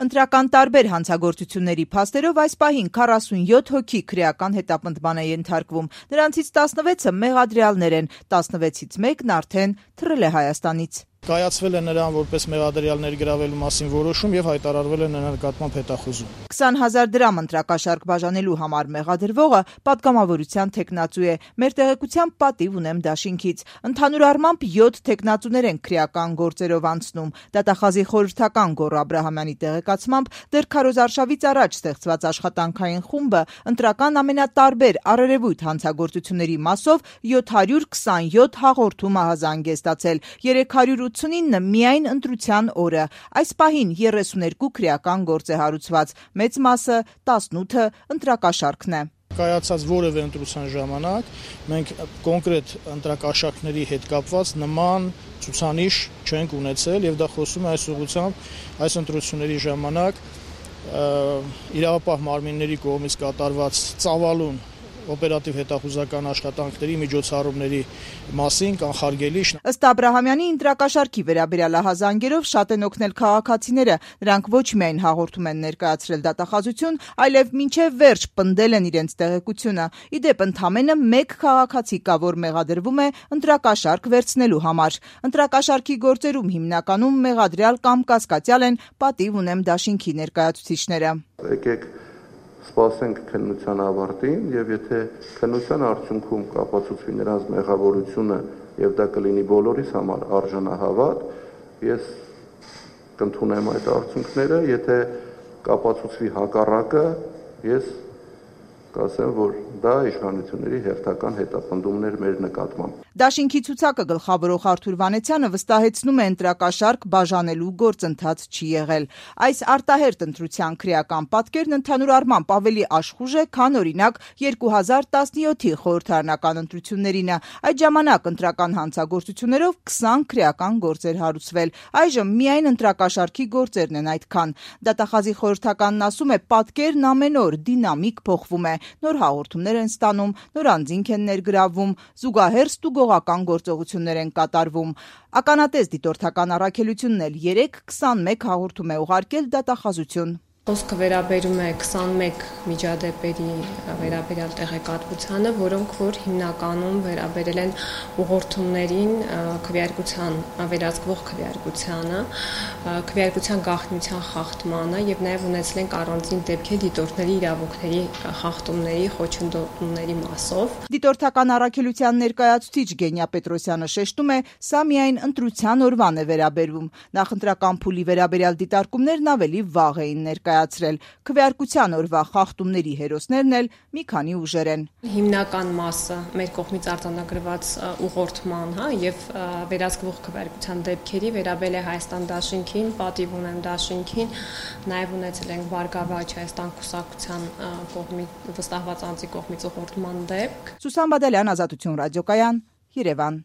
Ընտրական տարբեր հանցագործությունների փաստերով այս պահին 47 հոգի քրեական հետապնդման է ենթարկվում։ Նրանցից 16-ը մեղադրյալներ են, 16-ից մեկն արդեն թռել է Հայաստանից։ Կայացվել է նրան որպես մեղադրյալ ներգրավելու մասին որոշում եւ հայտարարվել է նրա նկատմամբ հետախուզում։ 20,000 դրամ ընտրակաշարք բաժանելու համար մեղադրվողը պատգամավորության թեկնածու է։ Մեր տեղեկությամբ պատիվ ունեմ դաշինքից։ Ընդհանուր առմամբ 7 թեկնածուներ են քրեական գործերով անցնում։ Դատախազի խորհրդական Գոռ Աբրահամյանի տեղեկացմամբ դեռ քարոզարշավից առաջ ստեղծված աշխատանքային խումբը ընտրական ամենատարբեր առերևույթ հանցագործությունների մասով 727 հաղորդում ահազանգ է ստացել, 389 միայն ընտրության օրը։ Այս պահին 32 քրեական գործ է հարուցված, մեծ մասը 18-ը ընտրակաշարքն է։ Կայացած որևէ ընտրության ժամանակ մենք կոնկրետ ընտրակաշարքների հետ կապված նման ցուցանիշ չենք ունեցել եւ դա խոսում է այս ուղղությամբ այս ընտրությունների ժամանակ իրավապահ մարմինների կողմից կատարված ծավալուն օպերատիվ հետախուզական աշխատանքների միջոցառումների մասին կանխարգելի։ Ըստ Աբրահամյանի ընտրակաշարքի վերաբերյալ ահազանգերով շատ են օգնել քաղաքացիները։ Նրանք ոչ միայն հաղորդում են ներկայացրել դատախազություն, այլև մինչև վերջ պնդել են իրենց տեղեկությունը։ Ի դեպ, ընդամենը մեկ քաղաքացի կա, որ մեղադրվում է ընտրակաշարք վերցնելու համար։ Ընտրակաշարքի գործերում հիմնականում մեղադրյալ կամ կասկածյալ են, պատիվ ունեմ դաշինքի ներկայացուցիչները։ Եկեք սպասենք քննության ավարտին եւ եթե քննության արդյունքում կապացուցվի նրանց մեղավորությունը եւ դա կլինի բոլորիս համար արժանահավատ, ես կընդունեմ այդ արդյունքները, եթե կապացուցվի հակառակը, ես կասեմ, որ դա իշխանությունների հերթական հետապնդումներ մեր նկատմամբ։ Դաշինքի ցուցակը գլխավորող Արթուր Վանեցյանը վստահեցնում է ընտրակաշարք բաժանելու գործընթաց չի եղել։ Այս արտահերթ ընտրության քրեական պատկերն ընդհանուր առմամբ ավելի աշխուժ է, քան օրինակ 2017-ի խորհրդարանական ընտրություններինը։ Այդ ժամանակ ընտրական հանցագործություններով 20 քրեական գործեր հարուցվել։ Այժմ միայն ընտրակաշարքի գործերն են այդքան։ Դատախազի խորհրդականն ասում է, պատկերն ամեն օր դինամիկ փոխվում է։ Նոր հաղորդումներ են ստանում, նոր անձինք են ներգրավվում, զուգահեռ ստուգողական գործողություններ են կատարվում։ Ականատես դիտորդական առաքելությունն էլ 3-21 հաղորդում է ուղարկել դատախազություն։ Խոսքը վերաբերում է 21 միջադեպերի վերաբերյալ տեղեկատվությանը, որոնք որ հիմնականում վերաբերել են ուղղորդումներին, քվեարկության վերահսկվող քվեարկությանը, քվեարկության գաղտնիության խախտմանը եւ նաեւ ունեցել են առանձին դեպքեր դիտորդների իրավունքների խախտումների, խոչընդոտումների մասով։ Դիտորդական առաքելության ներկայացուցիչ Գենյա Պետրոսյանը շեշտում է, սա միայն ընտրության օրվան է վերաբերվում։ Նախընտրական փուլի վերաբերյալ դիտարկումներն ավելի վաղ էին ներկայացրել։ Քվեարկության օրվա խախտումների հերոսներն էլ մի քանի ուժեր են։ Հիմնական մասը մեր կողմից արձանագրված ուղղորդման, եւ վերահսկվող քվեարկության դեպքերի վերաբերել է Հայաստան դաշինքին, պատիվ ունեմ դաշինքին, նաեւ ունեցել ենք Բարգավաճ Հայաստան կուսակցության կողմից վստահված անձի կողմից ուղղորդման դեպք։ Սուսան Բադալյան, Ազատություն ռադիոկայան, Երևան։